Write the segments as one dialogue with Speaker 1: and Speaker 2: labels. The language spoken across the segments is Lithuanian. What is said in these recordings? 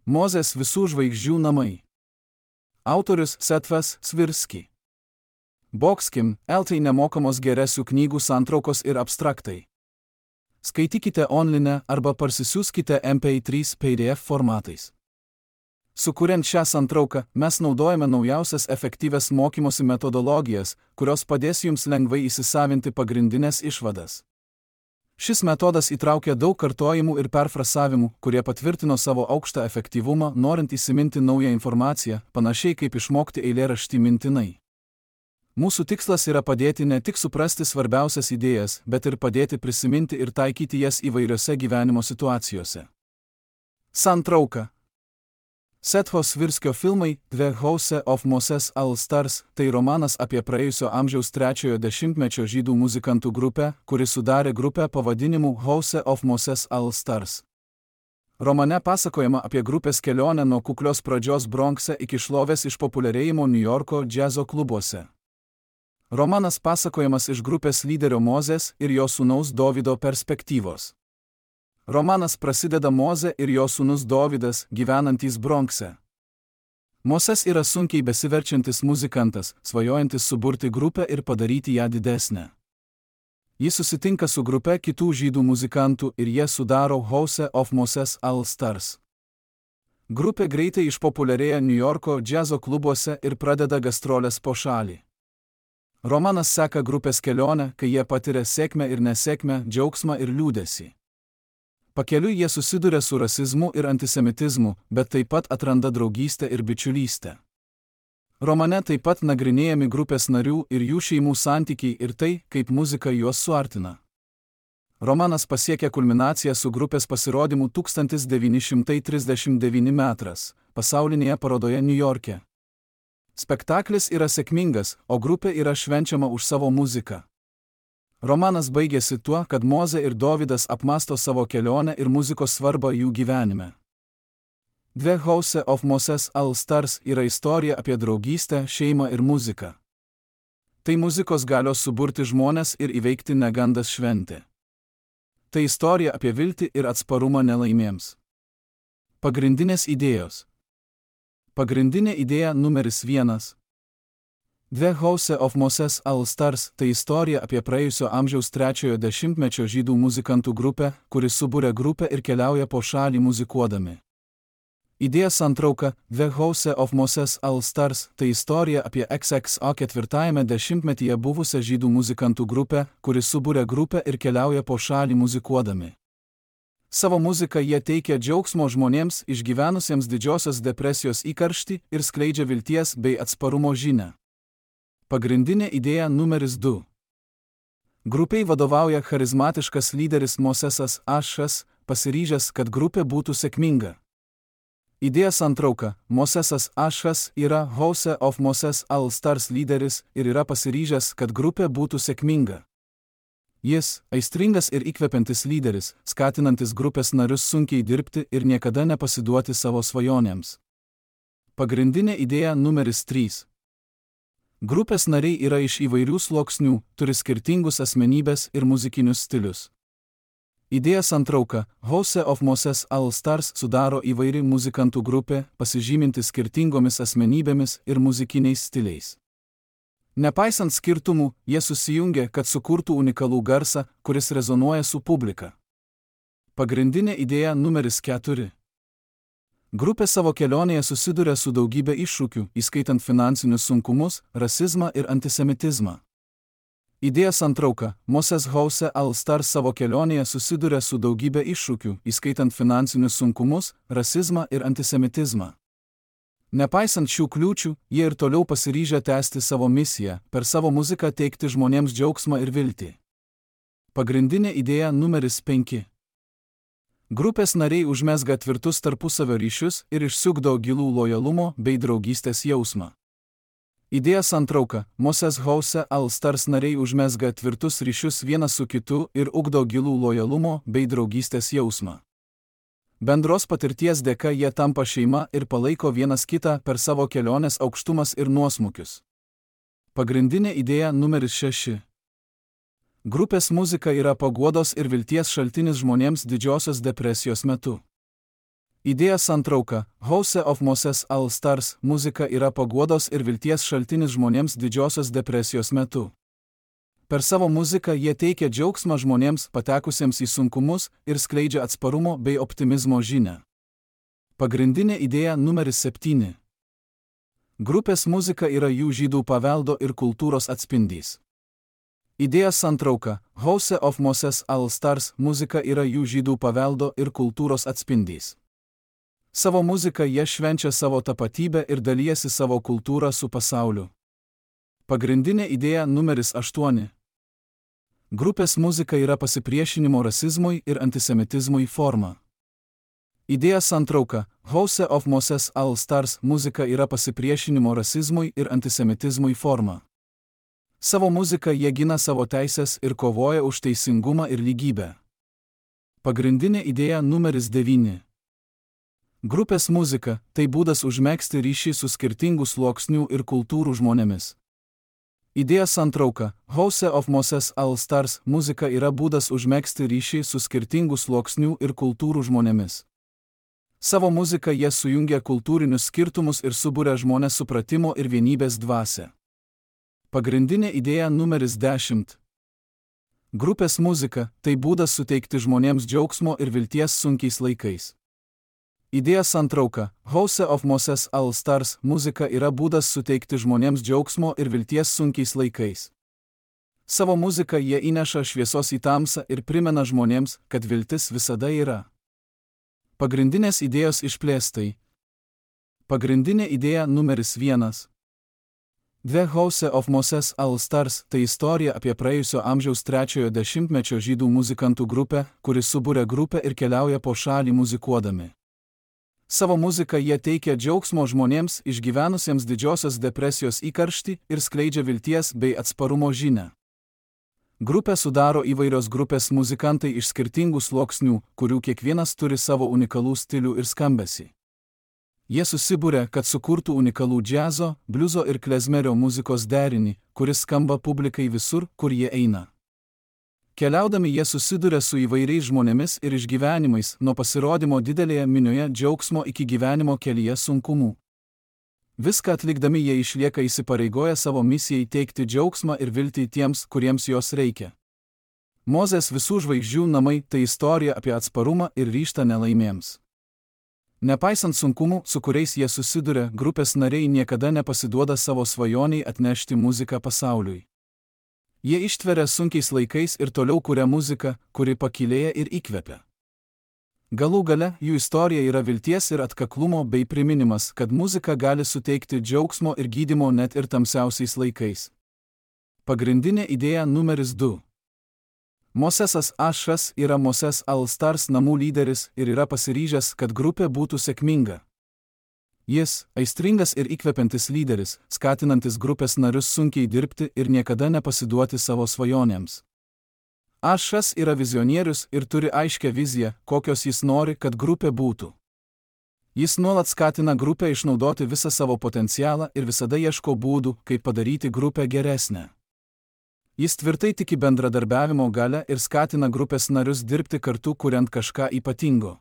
Speaker 1: Mozės visų žvaigždžių namai. Autorius Setvas Svirski. Boxkim, LT nemokamos geresių knygų santraukos ir abstraktai. Skaitykite online arba parsisiųskite MP3 PDF formatais. Sukuriant šią santrauką, mes naudojame naujausias efektyvias mokymosi metodologijas, kurios padės jums lengvai įsisavinti pagrindinės išvadas. Šis metodas įtraukia daug kartojimų ir perfrasavimų, kurie patvirtino savo aukštą efektyvumą, norint įsiminti naują informaciją, panašiai kaip išmokti eilėraštį mintinai. Mūsų tikslas yra padėti ne tik suprasti svarbiausias idėjas, bet ir padėti prisiminti ir taikyti jas įvairiose gyvenimo situacijose. Santrauka. Setvos Svirskio filmai The House of Moses All Stars – tai romanas apie praėjusio amžiaus 3-ojo dešimtmečio žydų muzikantų grupę, kuri sudarė grupę pavadinimu House of Moses All Stars. Romane pasakojama apie grupės kelionę nuo kuklios pradžios Bronkse iki šlovės išpopuliarėjimo Niujorko džiazo klubuose. Romanas pasakojamas iš grupės lyderio Mozės ir jo sūnaus Dovydo perspektyvos. Romanas prasideda Mozė ir jo sūnus Dovydas, gyvenantys Bronkse. Mozės yra sunkiai besiverčiantis muzikantas, svajojantis suburti grupę ir padaryti ją didesnę. Jis susitinka su grupe kitų žydų muzikantų ir jie sudaro House of Moses All Stars. Grupė greitai išpopuliarėja Niujorko džiazo klubuose ir pradeda gastrolės po šalį. Romanas seka grupės kelionę, kai jie patiria sėkmę ir nesėkmę, džiaugsmą ir liūdesį. Pakeliui jie susiduria su rasizmu ir antisemitizmu, bet taip pat atranda draugystę ir bičiulystę. Romane taip pat nagrinėjami grupės narių ir jų šeimų santykiai ir tai, kaip muzika juos suartina. Romanas pasiekia kulminaciją su grupės pasirodymu 1939 metras pasaulinėje parodoje Niujorke. Spektaklis yra sėkmingas, o grupė yra švenčiama už savo muziką. Romanas baigėsi tuo, kad Mozė ir Dovydas apmąsto savo kelionę ir muzikos svarbą jų gyvenime. The House of Moses All Stars yra istorija apie draugystę, šeimą ir muziką. Tai muzikos galios suburti žmones ir įveikti negandas šventė. Tai istorija apie viltį ir atsparumą nelaimėms. Pagrindinės idėjos. Pagrindinė idėja numeris 1. The House of Moses All Stars – tai istorija apie praėjusio amžiaus 3-ojo dešimtmečio žydų muzikantų grupę, kuri subūrė grupę ir keliauja po šalį muzikuodami. Idėja santrauka The House of Moses All Stars – tai istorija apie XXO 4-ajame dešimtmetyje buvusią žydų muzikantų grupę, kuri subūrė grupę ir keliauja po šalį muzikuodami. Savo muziką jie teikia džiaugsmo žmonėms išgyvenusiems didžiosios depresijos įkarštį ir skleidžia vilties bei atsparumo žinią. Pagrindinė idėja numeris 2. Grupiai vadovauja charizmatiškas lyderis Mosesas Ašas, pasiryžęs, kad grupė būtų sėkminga. Idėja santrauka. Mosesas Ašas yra House of Moses All Stars lyderis ir yra pasiryžęs, kad grupė būtų sėkminga. Jis – aistringas ir įkvepiantis lyderis, skatinantis grupės narius sunkiai dirbti ir niekada nepasiduoti savo svajonėms. Pagrindinė idėja numeris 3. Grupės nariai yra iš įvairių sluoksnių, turi skirtingus asmenybės ir muzikinius stilius. Idėja santrauka. House of Moses All Stars sudaro įvairi muzikantų grupė, pasižyminti skirtingomis asmenybėmis ir muzikiniais stiliais. Nepaisant skirtumų, jie susijungia, kad sukurtų unikalų garsą, kuris rezonuoja su publika. Pagrindinė idėja numeris 4. Grupė savo kelionėje susiduria su daugybė iššūkių, įskaitant finansinius sunkumus, rasizmą ir antisemitizmą. Idėja santrauka. Moses House All Stars savo kelionėje susiduria su daugybė iššūkių, įskaitant finansinius sunkumus, rasizmą ir antisemitizmą. Nepaisant šių kliūčių, jie ir toliau pasiryžę tęsti savo misiją, per savo muziką teikti žmonėms džiaugsmą ir viltį. Pagrindinė idėja numeris 5. Grupės nariai užmezga tvirtus tarpusavio ryšius ir išsiugdo gilų lojalumo bei draugystės jausmą. Idėja santrauka. Moses House All Stars nariai užmezga tvirtus ryšius vienas su kitu ir ugdo gilų lojalumo bei draugystės jausmą. Bendros patirties dėka jie tampa šeima ir palaiko vienas kitą per savo kelionės aukštumas ir nuosmukius. Pagrindinė idėja numeris 6. Grupės muzika yra paguodos ir vilties šaltinis žmonėms didžiosios depresijos metu. Idėja santrauka House of Moses All Stars muzika yra paguodos ir vilties šaltinis žmonėms Didžiosios depresijos metu. Per savo muziką jie teikia džiaugsmą žmonėms patekusiems į sunkumus ir skleidžia atsparumo bei optimizmo žinią. Pagrindinė idėja numeris 7. Grupės muzika yra jų žydų paveldo ir kultūros atspindys. Idėja santrauka House of Moses All Stars muzika yra jų žydų paveldo ir kultūros atspindys. Savo muziką jie švenčia savo tapatybę ir dalijasi savo kultūrą su pasauliu. Pagrindinė idėja numeris 8. Grupės muzika yra pasipriešinimo rasizmui ir antisemitizmui forma. Idėja santrauka House of Moses All Stars muzika yra pasipriešinimo rasizmui ir antisemitizmui forma. Savo muziką jie gina savo teisės ir kovoja už teisingumą ir lygybę. Pagrindinė idėja numeris 9. Grupės muzika – tai būdas užmegzti ryšį su skirtingų sluoksnių ir kultūrų žmonėmis. Idėja santrauka House of Moses All Stars muzika yra būdas užmegzti ryšį su skirtingų sluoksnių ir kultūrų žmonėmis. Savo muziką jie sujungia kultūrinius skirtumus ir suburia žmonės supratimo ir vienybės dvasią. Pagrindinė idėja numeris 10. Grupės muzika – tai būdas suteikti žmonėms džiaugsmo ir vilties sunkiais laikais. Idėja santrauka House of Moses All Stars muzika yra būdas suteikti žmonėms džiaugsmo ir vilties sunkiais laikais. Savo muziką jie įneša šviesos į tamsą ir primena žmonėms, kad viltis visada yra. Pagrindinės idėjos išplėstai. Pagrindinė idėja numeris 1. The House of Moses All Stars – tai istorija apie praėjusio amžiaus 3-ojo dešimtmečio žydų muzikantų grupę, kuri suburia grupę ir keliauja po šalį muzikuodami. Savo muziką jie teikia džiaugsmo žmonėms išgyvenusiems Didžiosios depresijos įkarštį ir skleidžia vilties bei atsparumo žinią. Grupę sudaro įvairios grupės muzikantai iš skirtingų sluoksnių, kurių kiekvienas turi savo unikalų stilių ir skambesį. Jie susiburia, kad sukurtų unikalų džiazo, bliuzo ir klezmerio muzikos derinį, kuris skamba publikai visur, kur jie eina. Keliaudami jie susiduria su įvairiais žmonėmis ir išgyvenimais, nuo pasirodymo didelėje minioje džiaugsmo iki gyvenimo kelyje sunkumų. Viską atlikdami jie išlieka įsipareigoję savo misijai teikti džiaugsmą ir viltį tiems, kuriems jos reikia. Mozės visų žvaigždžių namai – tai istorija apie atsparumą ir ryžtą nelaimėms. Nepaisant sunkumų, su kuriais jie susiduria, grupės nariai niekada nepasiduoda savo svajoniai atnešti muziką pasauliui. Jie ištveria sunkiais laikais ir toliau kuria muziką, kuri pakylėja ir įkvepia. Galų gale, jų istorija yra vilties ir atkaklumo bei priminimas, kad muzika gali suteikti džiaugsmo ir gydymo net ir tamsiausiais laikais. Pagrindinė idėja numeris 2. Mosesas Ašas yra Moses All Stars namų lyderis ir yra pasiryžęs, kad grupė būtų sėkminga. Jis – aistringas ir įkvepiantis lyderis, skatinantis grupės narius sunkiai dirbti ir niekada nepasiduoti savo svajonėms. Ašas yra vizionierius ir turi aiškią viziją, kokios jis nori, kad grupė būtų. Jis nuolat skatina grupę išnaudoti visą savo potencialą ir visada ieško būdų, kaip padaryti grupę geresnę. Jis tvirtai tiki bendradarbiavimo galia ir skatina grupės narius dirbti kartu, kuriant kažką ypatingo.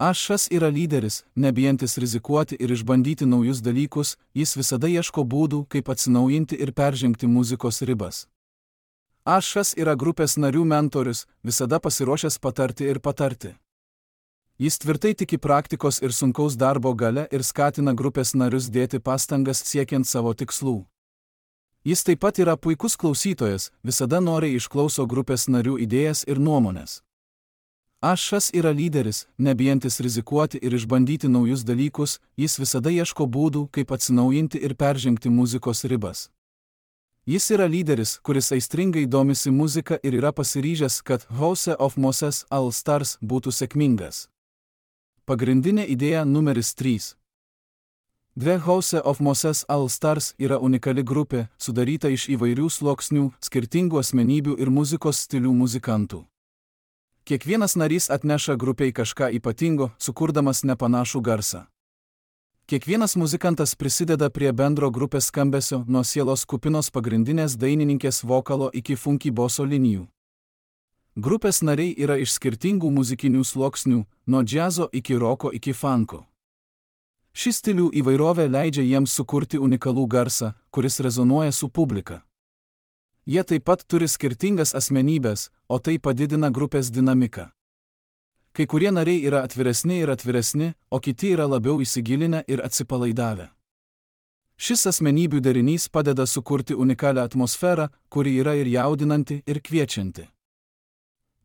Speaker 1: Ašas yra lyderis, nebijantis rizikuoti ir išbandyti naujus dalykus, jis visada ieško būdų, kaip atsinaujinti ir peržengti muzikos ribas. Ašas yra grupės narių mentorius, visada pasiruošęs patarti ir patarti. Jis tvirtai tiki praktikos ir sunkaus darbo galia ir skatina grupės narius dėti pastangas siekiant savo tikslų. Jis taip pat yra puikus klausytojas, visada noriai išklauso grupės narių idėjas ir nuomonės. Ašas yra lyderis, nebijantis rizikuoti ir išbandyti naujus dalykus, jis visada ieško būdų, kaip atsinaujinti ir peržengti muzikos ribas. Jis yra lyderis, kuris aistringai domisi muzika ir yra pasiryžęs, kad House of Moses All Stars būtų sėkmingas. Pagrindinė idėja numeris 3. The House of Moses All Stars yra unikali grupė, sudaryta iš įvairių sluoksnių, skirtingų asmenybių ir muzikos stilių muzikantų. Kiekvienas narys atneša grupiai kažką ypatingo, sukurdamas nepanašų garsą. Kiekvienas muzikantas prisideda prie bendro grupės skambesio nuo sielos kupinos pagrindinės dainininkės vokalo iki funky boso linijų. Grupės nariai yra iš skirtingų muzikinių sluoksnių, nuo džiazo iki roko iki funko. Ši stilių įvairovė leidžia jiems sukurti unikalų garsą, kuris rezonuoja su publika. Jie taip pat turi skirtingas asmenybės, o tai padidina grupės dinamiką. Kai kurie nariai yra atviresni, o kiti yra labiau įsigilinę ir atsipalaidavę. Šis asmenybių derinys padeda sukurti unikalią atmosferą, kuri yra ir jaudinanti, ir kviečianti.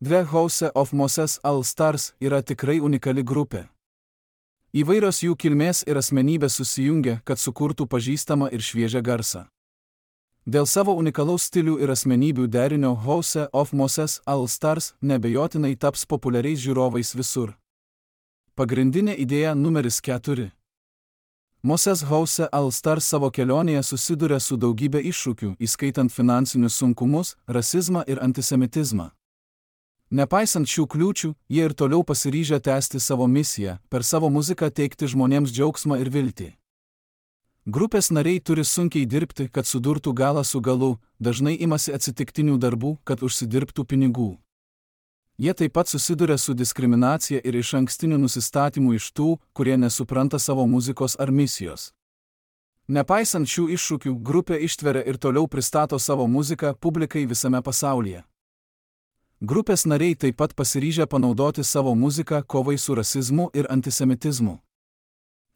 Speaker 1: The House of Moses All Stars yra tikrai unikali grupė. Įvairios jų kilmės ir asmenybės susijungia, kad sukurtų pažįstamą ir šviežią garsą. Dėl savo unikalaus stilių ir asmenybių derinio House of Moses All Stars nebejotinai taps populiariais žiūrovais visur. Pagrindinė idėja numeris 4. Moses House All Stars savo kelionėje susiduria su daugybė iššūkių, įskaitant finansinius sunkumus, rasizmą ir antisemitizmą. Nepaisant šių kliūčių, jie ir toliau pasiryžę tęsti savo misiją, per savo muziką teikti žmonėms džiaugsmą ir viltį. Grupės nariai turi sunkiai dirbti, kad sudurtų galą su galu, dažnai imasi atsitiktinių darbų, kad užsidirbtų pinigų. Jie taip pat susiduria su diskriminacija ir išankstiniu nusistatymu iš tų, kurie nesupranta savo muzikos ar misijos. Nepaisant šių iššūkių, grupė ištveria ir toliau pristato savo muziką publikai visame pasaulyje. Grupės nariai taip pat pasiryžę panaudoti savo muziką kovai su rasizmu ir antisemitizmu.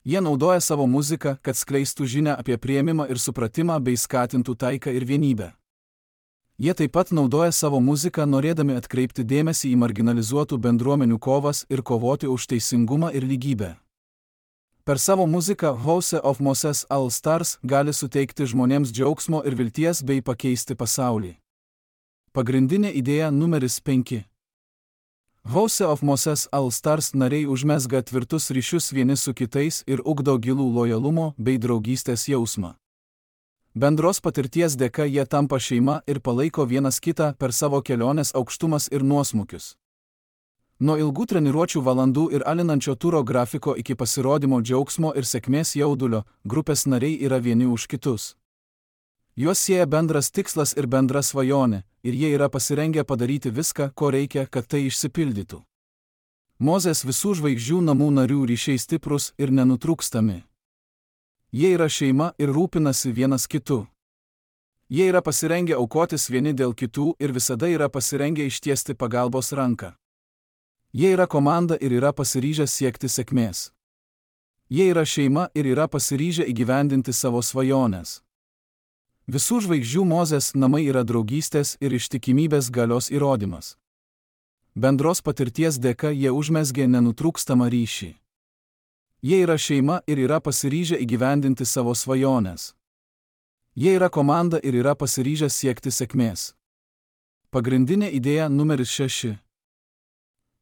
Speaker 1: Jie naudoja savo muziką, kad skleistų žinią apie priėmimą ir supratimą bei skatintų taiką ir vienybę. Jie taip pat naudoja savo muziką norėdami atkreipti dėmesį į marginalizuotų bendruomenių kovas ir kovoti už teisingumą ir lygybę. Per savo muziką House of Moses All Stars gali suteikti žmonėms džiaugsmo ir vilties bei pakeisti pasaulį. Pagrindinė idėja numeris 5. House of Moses All Stars nariai užmezga tvirtus ryšius vieni su kitais ir ugdo gilų lojalumo bei draugystės jausmą. Bendros patirties dėka jie tampa šeima ir palaiko vienas kitą per savo kelionės aukštumas ir nuosmukius. Nuo ilgų treniruočių valandų ir alinančio turo grafiko iki pasirodymo džiaugsmo ir sėkmės jaudulio, grupės nariai yra vieni už kitus. Juos sieja bendras tikslas ir bendra svajonė, ir jie yra pasirengę padaryti viską, ko reikia, kad tai išsipildytų. Mozės visų žvaigždžių namų narių ryšiai stiprus ir nenutrūkstami. Jie yra šeima ir rūpinasi vienas kitu. Jie yra pasirengę aukotis vieni dėl kitų ir visada yra pasirengę ištiesti pagalbos ranką. Jie yra komanda ir yra pasiryžę siekti sėkmės. Jie yra šeima ir yra pasiryžę įgyvendinti savo svajones. Visų žvaigždžių Mozės namai yra draugystės ir ištikimybės galios įrodymas. Bendros patirties dėka jie užmezgė nenutrūkstamą ryšį. Jie yra šeima ir yra pasiryžę įgyvendinti savo svajones. Jie yra komanda ir yra pasiryžę siekti sėkmės. Pagrindinė idėja numeris 6.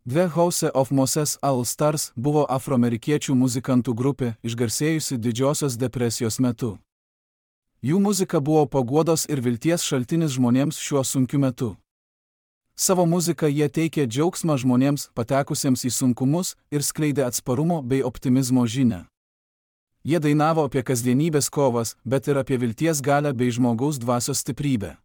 Speaker 1: The House of Moses All Stars buvo afroamerikiečių muzikantų grupė, išgarsėjusi Didžiosios depresijos metu. Jų muzika buvo paguodos ir vilties šaltinis žmonėms šiuo sunkiu metu. Savo muziką jie teikė džiaugsmą žmonėms patekusiems į sunkumus ir skleidė atsparumo bei optimizmo žinią. Jie dainavo apie kasdienybės kovas, bet ir apie vilties galią bei žmogaus dvasios stiprybę.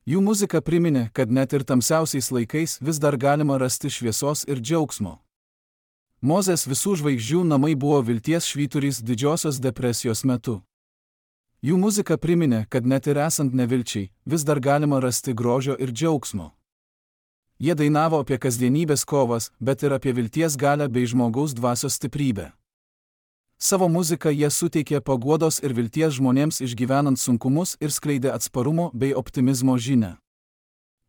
Speaker 1: Jų muzika priminė, kad net ir tamsiausiais laikais vis dar galima rasti šviesos ir džiaugsmo. Mozės visų žvaigždžių namai buvo vilties švyturys Didžiosios depresijos metu. Jų muzika priminė, kad net ir esant nevilčiai, vis dar galima rasti grožio ir džiaugsmo. Jie dainavo apie kasdienybės kovas, bet ir apie vilties galią bei žmogaus dvasios stiprybę. Savo muziką jie suteikė paguodos ir vilties žmonėms išgyvenant sunkumus ir skleidė atsparumo bei optimizmo žinią.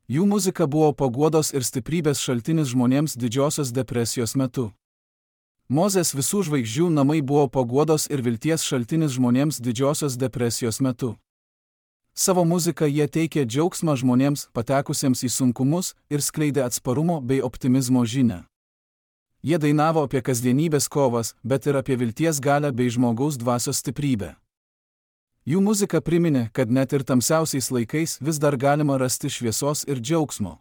Speaker 1: Jų muzika buvo paguodos ir stiprybės šaltinis žmonėms Didžiosios depresijos metu. Mozės visų žvaigždžių namai buvo paguodos ir vilties šaltinis žmonėms Didžiosios depresijos metu. Savo muziką jie teikė džiaugsmą žmonėms patekusiems į sunkumus ir skleidė atsparumo bei optimizmo žinią. Jie dainavo apie kasdienybės kovas, bet ir apie vilties galią bei žmogaus dvasios stiprybę. Jų muzika priminė, kad net ir tamsiausiais laikais vis dar galima rasti šviesos ir džiaugsmo.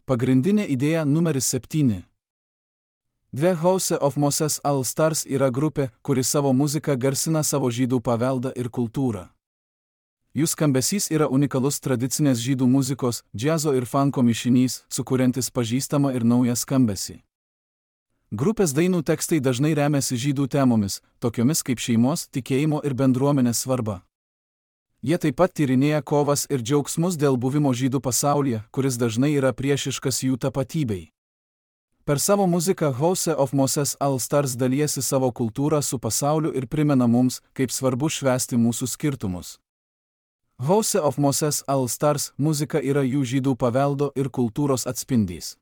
Speaker 1: Pagrindinė idėja numeris 7. The House of Moses All Stars yra grupė, kuri savo muziką garsina savo žydų paveldą ir kultūrą. Jų skambesys yra unikalus tradicinės žydų muzikos, džiazo ir funko mišinys, sukuriantis pažįstamą ir naują skambesį. Grupės dainų tekstai dažnai remiasi žydų temomis, tokiomis kaip šeimos, tikėjimo ir bendruomenės svarba. Jie taip pat tyrinėja kovas ir džiaugsmus dėl buvimo žydų pasaulyje, kuris dažnai yra priešiškas jų tapatybei. Per savo muziką House of Moses All Stars dalijasi savo kultūrą su pasauliu ir primena mums, kaip svarbu švęsti mūsų skirtumus. House of Moses All Stars muzika yra jų žydų paveldo ir kultūros atspindys.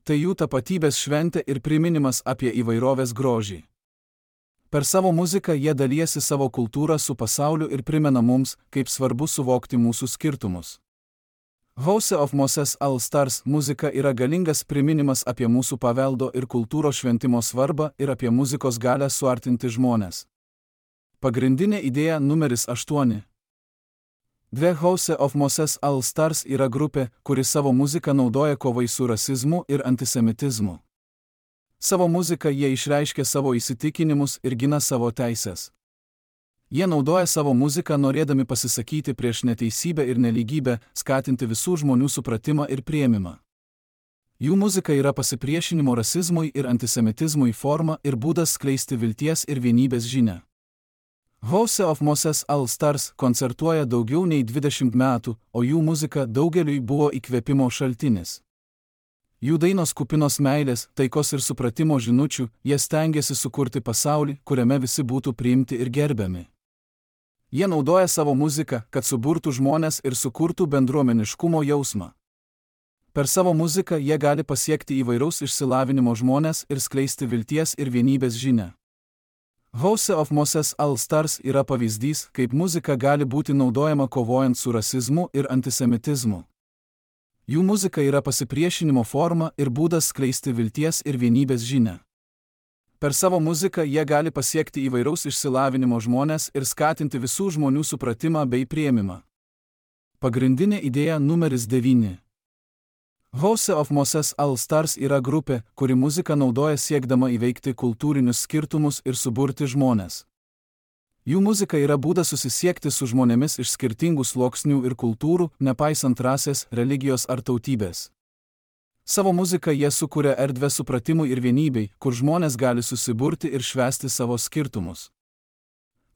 Speaker 1: Tai jų tapatybės šventė ir priminimas apie įvairovės grožį. Per savo muziką jie dalijasi savo kultūrą su pasauliu ir primena mums, kaip svarbu suvokti mūsų skirtumus. House of Moses All Stars muzika yra galingas priminimas apie mūsų paveldo ir kultūros šventimo svarbą ir apie muzikos galią suartinti žmones. Pagrindinė idėja numeris 8. The House of Moses All Stars yra grupė, kuri savo muziką naudoja kovai su rasizmu ir antisemitizmu. Savo muziką jie išreiškia savo įsitikinimus ir gina savo teises. Jie naudoja savo muziką norėdami pasisakyti prieš neteisybę ir nelygybę, skatinti visų žmonių supratimą ir priėmimą. Jų muzika yra pasipriešinimo rasizmui ir antisemitizmui forma ir būdas skleisti vilties ir vienybės žinią. House of Moses All Stars koncertuoja daugiau nei 20 metų, o jų muzika daugeliui buvo įkvėpimo šaltinis. Jų dainos kupinos meilės, taikos ir supratimo žinučių, jie stengiasi sukurti pasaulį, kuriame visi būtų priimti ir gerbiami. Jie naudoja savo muziką, kad suburtų žmones ir sukurtų bendruomeniškumo jausmą. Per savo muziką jie gali pasiekti įvairaus išsilavinimo žmones ir skleisti vilties ir vienybės žinią. House of Moses All Stars yra pavyzdys, kaip muzika gali būti naudojama kovojant su rasizmu ir antisemitizmu. Jų muzika yra pasipriešinimo forma ir būdas skleisti vilties ir vienybės žinią. Per savo muziką jie gali pasiekti įvairaus išsilavinimo žmones ir skatinti visų žmonių supratimą bei priėmimą. Pagrindinė idėja numeris 9. House of Moses All Stars yra grupė, kuri muziką naudoja siekdama įveikti kultūrinius skirtumus ir suburti žmones. Jų muzika yra būdas susisiekti su žmonėmis iš skirtingų sluoksnių ir kultūrų, nepaisant rasės, religijos ar tautybės. Savo muziką jie sukuria erdvę supratimui ir vienybei, kur žmonės gali susiburti ir švęsti savo skirtumus.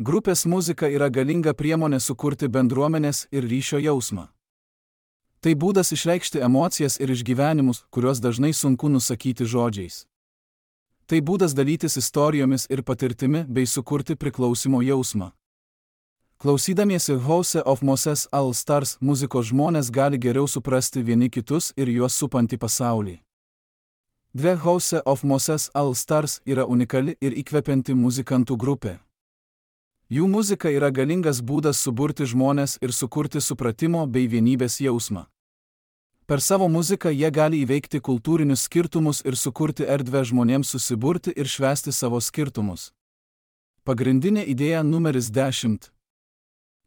Speaker 1: Grupės muzika yra galinga priemonė sukurti bendruomenės ir ryšio jausmą. Tai būdas išreikšti emocijas ir išgyvenimus, kuriuos dažnai sunku nusakyti žodžiais. Tai būdas dalytis istorijomis ir patirtimi bei sukurti priklausimo jausmą. Klausydamiesi House of Moses All Stars muzikos žmonės gali geriau suprasti vieni kitus ir juos supantį pasaulį. The House of Moses All Stars yra unikali ir įkvepianti muzikantų grupė. Jų muzika yra galingas būdas suburti žmones ir sukurti supratimo bei vienybės jausmą. Per savo muziką jie gali įveikti kultūrinius skirtumus ir sukurti erdvę žmonėms susiburti ir švęsti savo skirtumus. Pagrindinė idėja numeris 10.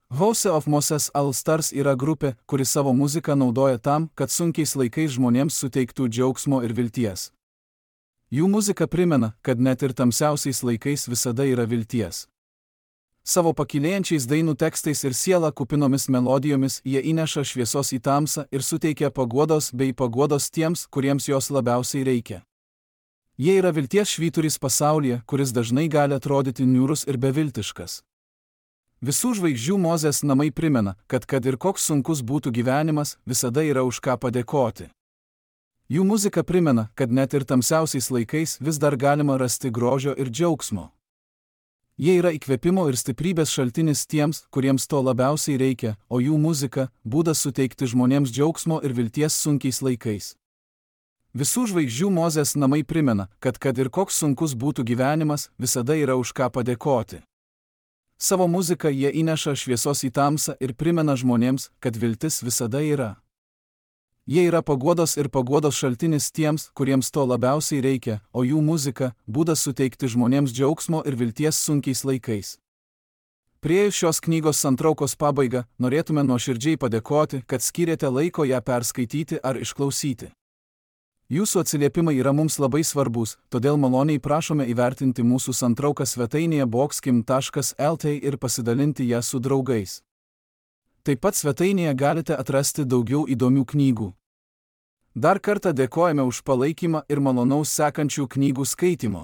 Speaker 1: House of Moses All Stars yra grupė, kuri savo muziką naudoja tam, kad sunkiais laikais žmonėms suteiktų džiaugsmo ir vilties. Jų muzika primena, kad net ir tamsiausiais laikais visada yra vilties. Savo pakylėjančiais dainų tekstais ir sielą kupinomis melodijomis jie įneša šviesos į tamsą ir suteikia paguodos bei paguodos tiems, kuriems jos labiausiai reikia. Jie yra vilties švyturys pasaulyje, kuris dažnai gali atrodyti niūrus ir beviltiškas. Visų žvaigždžių Mozės namai primena, kad ir koks sunkus būtų gyvenimas, visada yra už ką padėkoti. Jų muzika primena, kad net ir tamsiausiais laikais vis dar galima rasti grožio ir džiaugsmo. Jie yra įkvėpimo ir stiprybės šaltinis tiems, kuriems to labiausiai reikia, o jų muzika – būdas suteikti žmonėms džiaugsmo ir vilties sunkiais laikais. Visų žvaigždžių Mozės namai primena, kad ir koks sunkus būtų gyvenimas, visada yra už ką padėkoti. Savo muziką jie įneša šviesos į tamsą ir primena žmonėms, kad viltis visada yra. Jie yra paguodos ir paguodos šaltinis tiems, kuriems to labiausiai reikia, o jų muzika – būdas suteikti žmonėms džiaugsmo ir vilties sunkiais laikais. Priėjus šios knygos santraukos pabaigą, norėtume nuoširdžiai padėkoti, kad skyrėte laiko ją perskaityti ar išklausyti. Jūsų atsiliepimai yra mums labai svarbus, todėl maloniai prašome įvertinti mūsų santrauką svetainėje boxkim.lt ir pasidalinti ją su draugais. Taip pat svetainėje galite atrasti daugiau įdomių knygų. Dar kartą dėkojame už palaikymą ir malonaus sekančių knygų skaitymo.